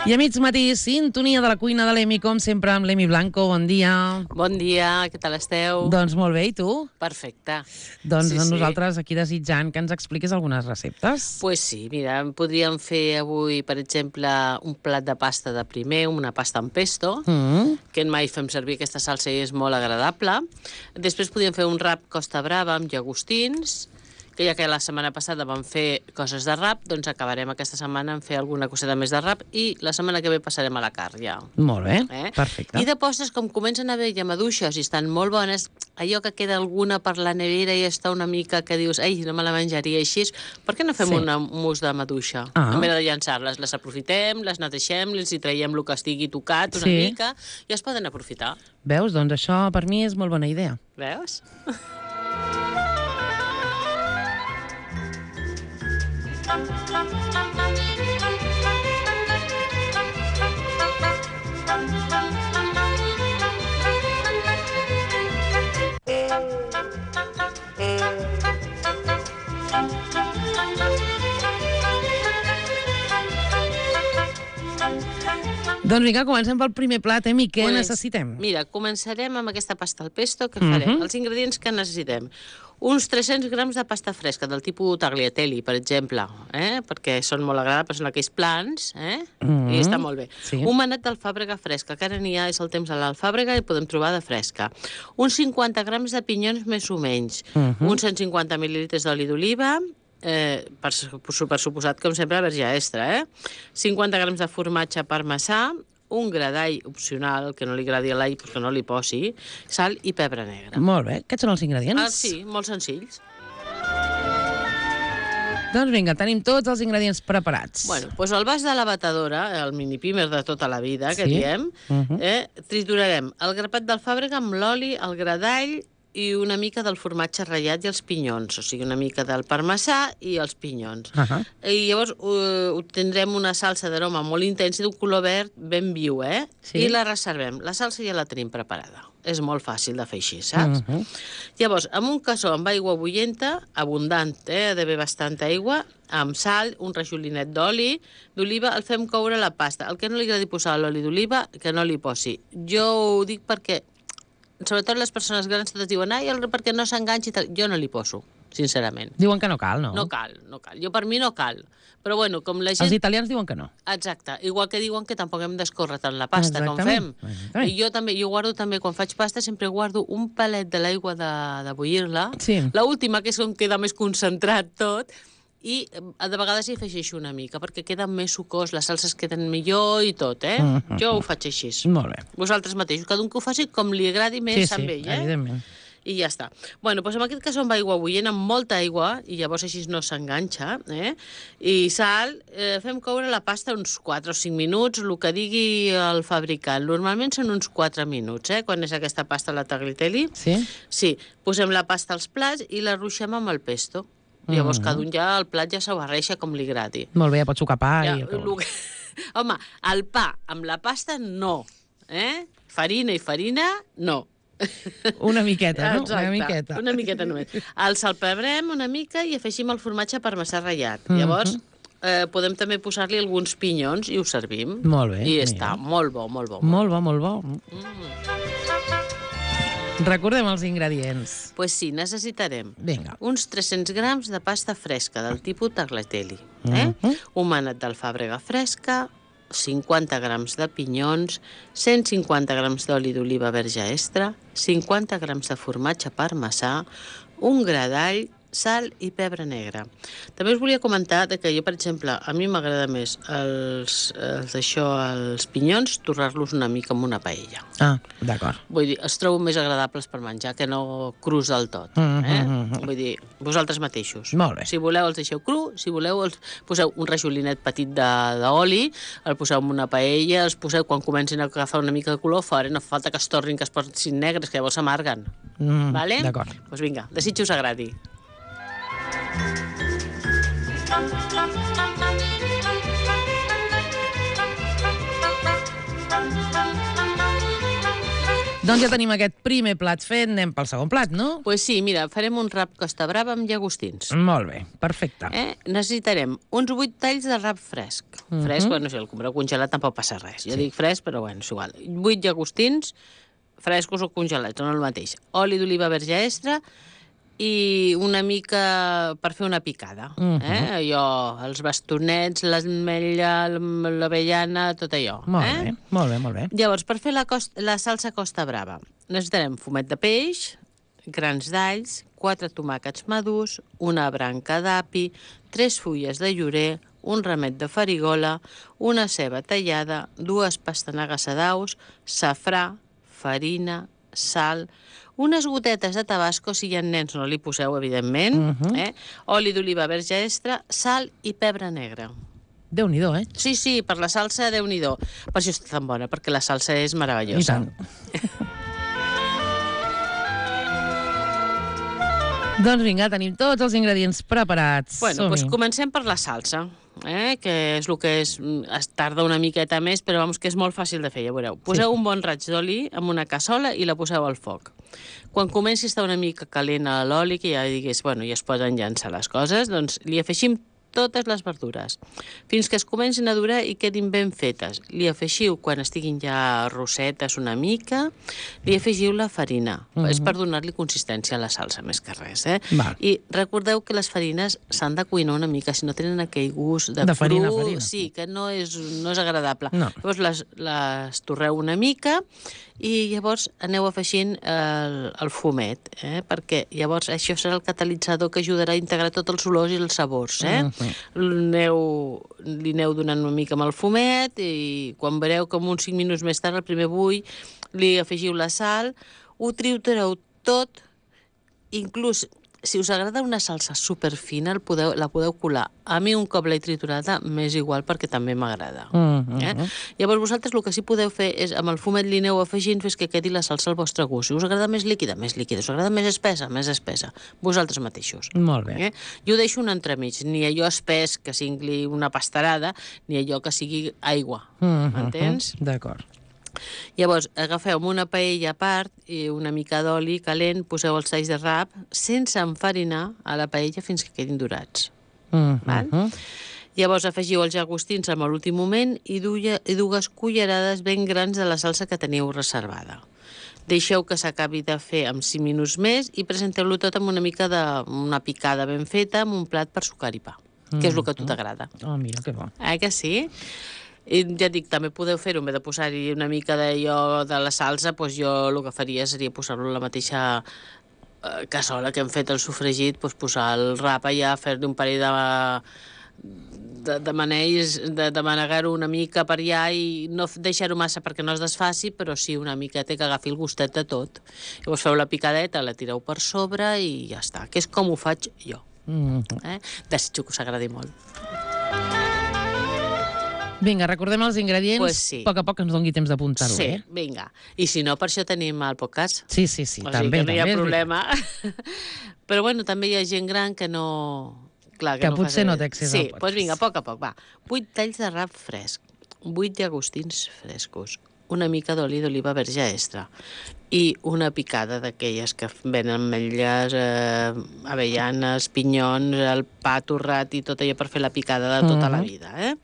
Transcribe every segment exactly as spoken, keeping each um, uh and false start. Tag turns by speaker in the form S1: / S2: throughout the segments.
S1: I a mig matí, sintonia de la cuina de l'Emi, com sempre, amb l'Emi Blanco. Bon dia.
S2: Bon dia, què tal esteu?
S1: Doncs molt bé, i tu?
S2: Perfecte.
S1: Doncs
S2: sí,
S1: nosaltres
S2: sí.
S1: aquí desitjant que ens expliquis algunes receptes.
S2: Pues sí, mira, podríem fer avui, per exemple, un plat de pasta de primer, una pasta amb pesto,
S1: Mm.
S2: que mai fem servir aquesta salsa i és molt agradable. Després podríem fer un rap Costa Brava amb llagostins, que ja que la setmana passada vam fer coses de rap, doncs acabarem aquesta setmana en fer alguna coseta més de rap i la setmana que ve passarem a la carn ja.
S1: Molt bé,
S2: Eh?
S1: perfecte.
S2: I de postres, com comencen a haver ja maduixes i estan molt bones, allò que queda alguna per la nevera i està una mica que dius, ai, no me la menjaria així, per què no fem
S1: Sí.
S2: una mousse de maduixa?
S1: Ah.
S2: En vez de llançar-les, les aprofitem, les neteixem, els hi traiem el que estigui tocat una
S1: Sí.
S2: mica i es poden aprofitar.
S1: Veus? Doncs això per mi és molt bona idea.
S2: Veus?
S1: Doncs vinga, comencem pel primer plat, Emi. Què
S2: Pues,
S1: necessitem?
S2: Mira, començarem amb aquesta pasta al pesto. Què
S1: Mhm.
S2: farem? Els ingredients que necessitem. Uns tres-cents grams de pasta fresca, del tipus tagliatelle, per exemple, eh? perquè són molt agradables, són aquells plans, eh?
S1: Mhm.
S2: i està molt bé.
S1: Sí.
S2: Un manet d'alfàbrega fresca, que ara n'hi ha, és el temps de l'alfàbrega i podem trobar de fresca. Uns cinquanta grams de pinyons més o menys.
S1: Mhm.
S2: Uns cent cinquanta mil·lilitres d'oli d'oliva, eh, per, per suposat, com sempre, verge extra, eh? cinquanta grams de formatge parmesà, un gra d'all opcional, que no li agradi l'all perquè no li posi, sal i pebre negre.
S1: Molt bé, aquests són els ingredients?
S2: Ah, sí, molt senzills.
S1: Doncs vinga, tenim tots els ingredients preparats.
S2: Bueno, doncs el vas de la batedora, el mini pimer de tota la vida, que
S1: Sí.
S2: diem,
S1: Mhm.
S2: eh, triturarem el grapat d'alfàbrega amb l'oli, el gra d'all i una mica del formatge ratllat i els pinyons, o sigui, una mica del parmesà i els pinyons.
S1: Ahà.
S2: I llavors uh, obtindrem una salsa d'aroma molt intensa i d'un color verd ben viu, eh?
S1: Sí.
S2: I la reservem. La salsa ja la tenim preparada. És molt fàcil de fer així, saps?
S1: Mhm.
S2: Llavors, amb un cassó amb aigua bullenta, abundant, eh? ha d'haver bastanta aigua, amb sal, un rajolinet d'oli d'oliva, el fem coure la pasta. El que no li agradi posar l'oli d'oliva, que no li posi. Jo ho dic perquè, sobretot les persones grans totes diuen, ai, el- perquè no s'enganxi i tal. Jo no li poso, sincerament.
S1: Diuen que no cal, no?
S2: No cal, no cal. Jo per mi no cal. Però bueno, com la gent...
S1: Els italians diuen que no.
S2: Exacte, igual que diuen que tampoc hem d'escórrer tant la pasta com fem.
S1: Exactament. Exactament.
S2: I jo també, jo guardo també, quan faig pasta, sempre guardo un palet de l'aigua de, de bullir-la.
S1: Sí.
S2: La última, que és on queda més concentrat tot, i eh, de vegades hi afegeixo una mica, perquè queda més sucós, les salses queden millor i tot, eh?
S1: Mhm.
S2: Jo ho faig així.
S1: Molt bé.
S2: Vosaltres mateixos, cada un que ho faci com li agradi més
S1: Sí, sí,
S2: amb ell, eh?
S1: evidentment.
S2: I ja està. Bueno, doncs en aquest cas amb aigua bullent, amb molta aigua, i llavors així no s'enganxa, eh? I sal, eh, fem coure la pasta uns quatre o cinc minuts, el que digui el fabricant. Normalment són uns quatre minuts, eh? Quan és aquesta pasta la tagliatelle.
S1: Sí?
S2: Sí, posem la pasta als plats i la ruixem amb el pesto. Llavors
S1: Mhm.
S2: cada un ja, el plat ja s'ho barreja com li agradi.
S1: Molt bé, ja pots sucar pa
S2: Ja,
S1: i... el que
S2: lo
S1: vulguis.
S2: que... Home, el pa amb la pasta no, eh? Farina i farina no.
S1: Una miqueta, no?
S2: Exacte,
S1: Una miqueta.
S2: una miqueta només. El salpebrem una mica i afegim el formatge parmesà ratllat.
S1: Mhm.
S2: Llavors, eh, podem també posar-li alguns pinyons i ho servim.
S1: Molt bé,
S2: I
S1: mira.
S2: està, molt bo, molt bo.
S1: Molt bo, molt bo.
S2: Mm.
S1: Recordem els ingredients.
S2: Pues sí, necessitarem
S1: Vinga.
S2: uns tres-cents grams de pasta fresca del tipus tagliatelle, eh?
S1: Mhm.
S2: un manet d'alfàbrega fresca, cinquanta grams de pinyons, cent cinquanta grams d'oli d'oliva verge extra, cinquanta grams de formatge parmesà, un gra d'all, sal i pebre negre. També us volia comentar que jo, per exemple, a mi m'agrada més els, els, això, els pinyons, torrar-los una mica amb una paella.
S1: Ah, d'acord.
S2: Vull dir, els trobo més agradables per menjar que no crus del tot.
S1: Mhm,
S2: Eh?
S1: mhm.
S2: Vull dir, vosaltres mateixos.
S1: Molt bé.
S2: Si voleu els deixeu cru, si voleu els poseu un rajolinet petit de- d'oli, el poseu en una paella, els poseu quan comencin a agafar una mica de color fora, no fa falta que es tornin, que es posin negres, que llavors s'amarguen.
S1: Mm,
S2: Vale?
S1: D'acord.
S2: Doncs vinga, desitjo us agradi.
S1: Doncs ja tenim aquest primer plat fet, anem pel segon plat, no?
S2: Doncs pues sí, mira, farem un rap Costa Brava amb llagostins.
S1: Molt bé, perfecte.
S2: Eh? Necessitarem uns vuit talls de rap fresc. Uh -huh. Fresc, bueno, si el compreu congelat tampoc passa res. Jo sí. dic fresc, però bueno, és igual. vuit llagostins, frescos o congelats, no el mateix. Oli d'oliva verge extra i una mica per fer una picada. Uh -huh. eh? Allò, els bastonets, l'ametlla, l'avellana, tot allò.
S1: Molt
S2: eh?
S1: bé, molt bé, molt bé.
S2: Llavors, per fer la, costa, la salsa Costa Brava, necessitarem fumet de peix, grans d'alls, quatre tomàquets madurs, una branca d'api, tres fulles de llorer, un ramet de farigola, una ceba tallada, dues pastanagues a daus, safrà, farina, sal, unes gotetes de tabasco, si hi ha nens no li poseu, evidentment, uh -huh. eh? oli d'oliva verge extra, sal i pebre negre.
S1: Déu-n'hi-do, eh?
S2: Sí, sí, per la salsa, Déu-n'hi-do. Per això està tan bona, perquè la salsa és meravellosa.
S1: I tant. Doncs vinga, tenim tots els ingredients preparats.
S2: Bueno, doncs comencem per la salsa, eh? que és el que és, es tarda una miqueta més, però vamos, que és molt fàcil de fer, ja veureu. Poseu sí. un bon raig d'oli en una cassola i la poseu al foc. Quan comenci a estar una mica calent a l'oli, que ja digués, bueno, ja es poden llançar les coses, doncs li afegim totes les verdures, fins que es comencin a durar i quedin ben fetes. Li afegiu, quan estiguin ja rossetes una mica, li afegiu la farina. Uh -huh. És per donar-li consistència a la salsa, més que res. Eh? I recordeu que les farines s'han de cuinar una mica, si no tenen aquell gust de,
S1: de
S2: cru,
S1: farina, farina.
S2: Sí, que no és, no és agradable.
S1: No.
S2: Llavors les, les torreu una mica i llavors aneu afegint el, el fumet, eh? perquè llavors això serà el catalitzador que ajudarà a integrar tots els olors i els sabors. Eh? Uh -huh. Aneu, li aneu donant una mica amb el fumet i quan veureu com uns cinc minuts més tard, el primer bull, li afegiu la sal, ho tritureu tot, inclús si us agrada una salsa superfina, el podeu, la podeu colar. A mi un cop l'he triturada m'és igual perquè també m'agrada. Uh -huh. eh? Llavors vosaltres el que sí podeu fer és amb el fumet li aneu afegint fins que quedi la salsa al vostre gust. Si us agrada més líquida, més líquida. Si us agrada més espessa, més espessa. Vosaltres mateixos.
S1: Molt bé.
S2: Eh? Jo ho deixo un entremig. Ni allò espès que sigui una pastarada, ni allò que sigui aigua. Uh -huh. M'entens?
S1: D'acord.
S2: Llavors, agafeu una paella a part i una mica d'oli calent, poseu els talls de rap sense enfarinar a la paella fins que quedin dorats. Uh -huh. Val? Llavors afegiu els llagostins en l'últim moment i, duia, i dues cullerades ben grans de la salsa que teniu reservada. Deixeu que s'acabi de fer amb cinc minuts més i presenteu-lo tot amb una mica de una picada ben feta amb un plat per sucar i pa, que és el que a tu t'agrada.
S1: Oh, mira, que bo.
S2: Eh que sí? I ja dic, també podeu fer-ho, en vez de posar-hi una mica d'allò de la salsa, doncs jo el que faria seria posar-lo a la mateixa eh, cassola que hem fet el sofregit, doncs posar el rap allà, fer-li un parell de, de, de manells, de, de manegar-ho una mica per allà i no deixar-ho massa perquè no es desfaci, però sí una miqueta que agafi el gustet de tot. Llavors feu la picadeta, la tireu per sobre i ja està, que és com ho faig jo. Mm -hmm. eh? Desitjo que us agradi molt.
S1: Vinga, recordem els ingredients,
S2: pues sí.
S1: A poc a poc ens doni temps d'apuntar-ho,
S2: sí,
S1: eh?
S2: Sí, vinga. I si no, per això tenim el podcast.
S1: Sí, sí, sí,
S2: o
S1: també.
S2: O sigui que no hi ha
S1: també
S2: problema. Però bueno, també hi ha gent gran que no... Clar, que,
S1: que
S2: no
S1: potser
S2: fa...
S1: no té accés
S2: sí,
S1: al
S2: podcast. Sí,
S1: podcast.
S2: doncs vinga, a poc a poc, va. vuit talls de rap fresc, vuit llagostins frescos, una mica d'oli d'oliva verge extra i una picada d'aquelles que venen ametlles, eh, avellanes, pinyons, el pa torrat i tot allò per fer la picada de tota uh-huh. la vida, eh?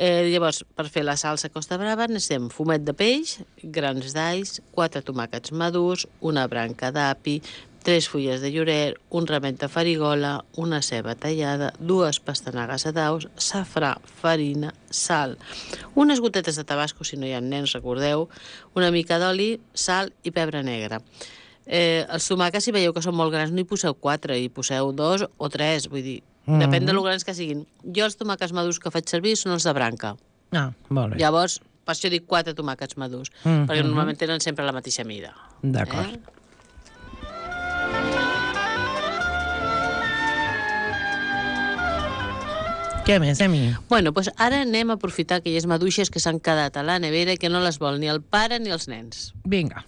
S2: Eh, llavors, per fer la salsa Costa Brava necessitem fumet de peix, grans d'alls, quatre tomàquets madurs, una branca d'api, tres fulles de llorer, un ramet de farigola, una ceba tallada, dues pastanagues a daus, safrà, farina, sal, unes gotetes de tabasco, si no hi ha nens, recordeu, una mica d'oli, sal i pebre negre. Eh, els tomàquets, si veieu que són molt grans, no hi poseu quatre, hi poseu dos o tres, vull dir, mm-hmm. depèn de lo grans que siguin. Jo els tomàquets madurs que faig servir són els de branca.
S1: Ah, molt bé.
S2: Llavors, per això dic quatre tomàquets madurs, mm-hmm. perquè normalment tenen sempre la mateixa mida.
S1: D'acord.
S2: Eh?
S1: Què més, Emi?
S2: Bueno, doncs ara anem a aprofitar aquelles maduixes que s'han quedat a la nevera i que no les vol ni el pare ni els nens.
S1: Vinga.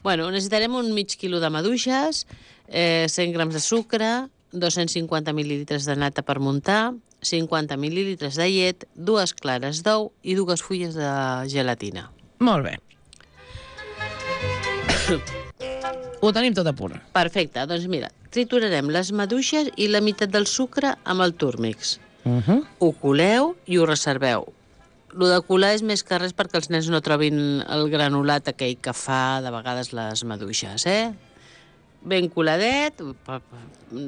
S2: Bueno, necessitarem un mig quilo de maduixes, eh, cent grams de sucre, dos-cents cinquanta mil·lilitres de nata per muntar, cinquanta mil·lilitres de llet, dues clares d'ou i dues fulles de gelatina.
S1: Molt bé. Ho tenim tot a punt.
S2: Perfecte, doncs mira, triturarem les maduixes i la meitat del sucre amb el túrmix.
S1: Uh -huh.
S2: Ho coleu i ho reserveu. Lo de colar és més que res perquè els nens no trobin el granulat aquell que fa de vegades les maduixes, eh? Ben coladet,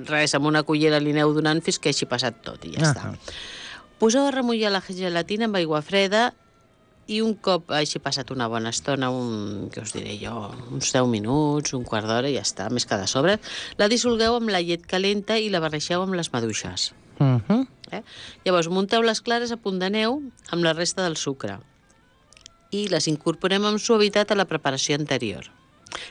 S2: res, amb una cullera li aneu donant fins que hagi passat tot i ja uh -huh. està. Poseu a remullar la gelatina amb aigua freda i un cop hagi passat una bona estona, un, què us diré jo, uns deu minuts, un quart d'hora, ja està, més que de sobre, la dissolgueu amb la llet calenta i la barreixeu amb les maduixes.
S1: Uh -huh.
S2: eh? Llavors, munteu les clares a punt de neu amb la resta del sucre i les incorporem amb suavitat a la preparació anterior.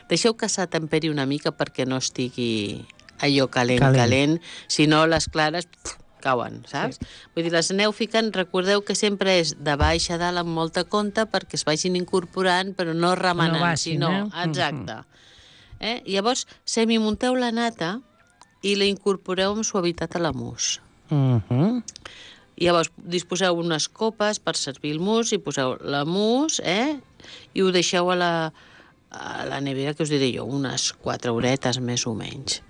S2: Deixeu que s'atemperi una mica perquè no estigui allò calent, calent, calent. Si no, les clares pf, cauen, saps? Sí. Vull dir, les aneu ficant, recordeu que sempre és de baix a dalt amb molta compte perquè es vagin incorporant, però no remenant, no baixin, sinó... Eh? Exacte. Eh? Llavors, semimunteu la nata i la incorporeu amb suavitat a la mousse.
S1: Uh -huh.
S2: Llavors, disposeu unes copes per servir el mousse i poseu la mousse, eh? I ho deixeu a la... a la nevera, que us diré jo, unes quatre horetes més o menys.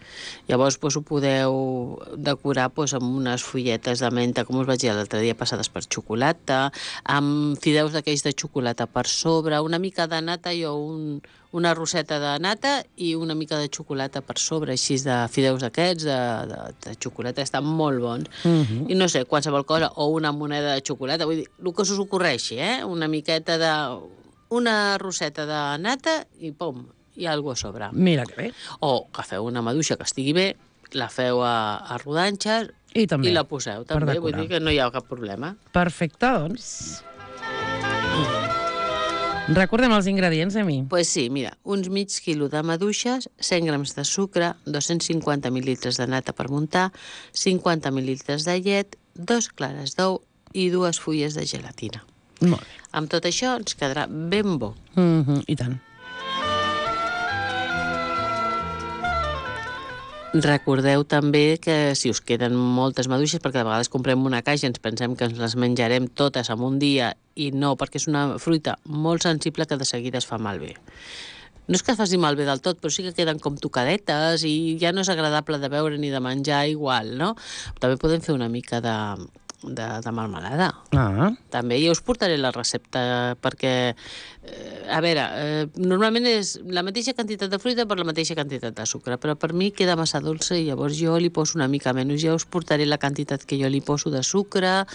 S2: Llavors doncs, ho podeu decorar doncs, amb unes fulletes de menta, com us vaig dir l'altre dia, passades per xocolata, amb fideus d'aquells de xocolata per sobre, una mica de nata, jo un, una roseta de nata i una mica de xocolata per sobre, així de fideus d'aquests, de, de, de xocolata, estan molt bons. Uh -huh. I no sé, qualsevol cosa, o una moneda de xocolata, vull dir, el que us ocorreixi, eh? Una miqueta de... una roseta de nata i pom, hi ha alguna cosa a sobre.
S1: Mira que bé.
S2: O agafeu una maduixa que estigui bé, la feu a, a rodanxes
S1: i, també,
S2: i la poseu també, vull dir que no hi ha cap problema.
S1: Perfecte, doncs. Recordem els ingredients, Emi.
S2: Doncs pues sí, mira, uns mig quilo de maduixes, cent grams de sucre, dos-cents cinquanta mil·litres de nata per muntar, cinquanta mil·litres de llet, dos clares d'ou i dues fulles de gelatina.
S1: Molt bé.
S2: Amb tot això ens quedarà ben bo.
S1: Mm -hmm, I tant.
S2: Recordeu també que si us queden moltes maduixes, perquè de vegades comprem una caixa i ens pensem que ens les menjarem totes en un dia i no, perquè és una fruita molt sensible que de seguida es fa malbé. No és que es faci malbé del tot, però sí que queden com tocadetes i ja no és agradable de veure ni de menjar igual, no? També podem fer una mica de... De, de melmelada.
S1: Ah.
S2: També, ja us portaré la recepta perquè, eh, a veure, eh, normalment és la mateixa quantitat de fruita per la mateixa quantitat de sucre, però per mi queda massa dolça i llavors jo li poso una mica menys. Ja us portaré la quantitat que jo li poso de sucre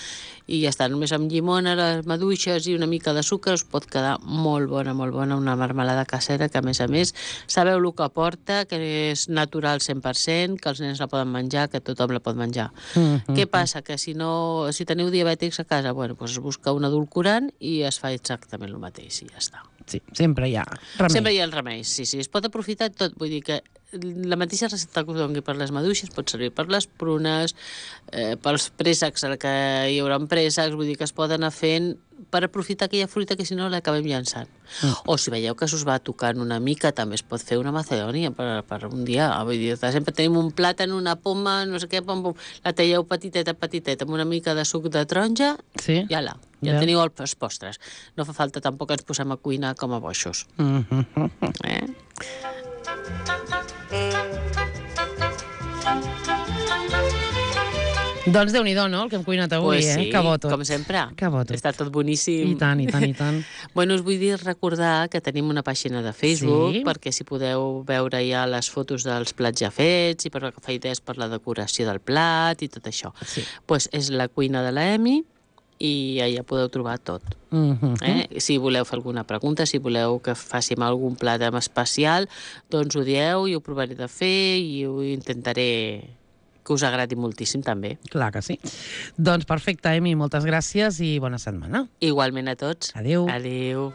S2: i ja està, només amb llimona, les maduixes i una mica de sucre us pot quedar molt bona, molt bona, una marmelada casera que a més a més sabeu el que porta, que és natural cent per cent, que els nens la poden menjar, que tothom la pot menjar. Mm-hmm. Què passa? Que si no si teniu diabètics a casa, bueno, doncs es busca un edulcorant i es fa exactament el mateix i ja està.
S1: Sí, sempre hi ha remei.
S2: Sempre hi ha el remei, sí, sí. Es pot aprofitar tot, vull dir que la mateixa recepta que us doni per les maduixes pot servir per les prunes, eh, pels préssecs, que hi haurà préssecs, vull dir que es poden anar fent per aprofitar aquella fruita que si no l'acabem llançant. Mm. O si veieu que s'us va tocant una mica, també es pot fer una macedònia per, per un dia. Vull dir, sempre tenim un plàtan, una poma, no sé què, pom, pom, la talleu petiteta, petiteta, amb una mica de suc de taronja,
S1: sí.
S2: i ala, ja, ja teniu els postres. No fa falta tampoc que ens posem a cuinar com a boixos.
S1: Mm-hmm.
S2: Eh?
S1: Doncs Déu-n'hi-do, no?, el que hem cuinat avui,
S2: pues sí,
S1: eh? Que bo tot.
S2: Com sempre.
S1: Que bo tot.
S2: Està tot boníssim.
S1: I tant, i tant, i tant.
S2: Bueno, us vull dir recordar que tenim una pàgina de Facebook,
S1: sí.
S2: perquè si podeu veure ja les fotos dels plats ja fets i per agafar idees per la decoració del plat i tot això.
S1: Sí.
S2: Pues és la cuina de la Emi i allà podeu trobar tot.
S1: Mm-hmm.
S2: eh? Si voleu fer alguna pregunta, si voleu que fàssim algun plat especial, doncs ho dieu i ho provaré de fer i ho intentaré que us agradi moltíssim també.
S1: Clar que sí. Doncs perfecte, Emi, moltes gràcies i bona setmana.
S2: Igualment a tots.
S1: Adéu.
S2: Adéu.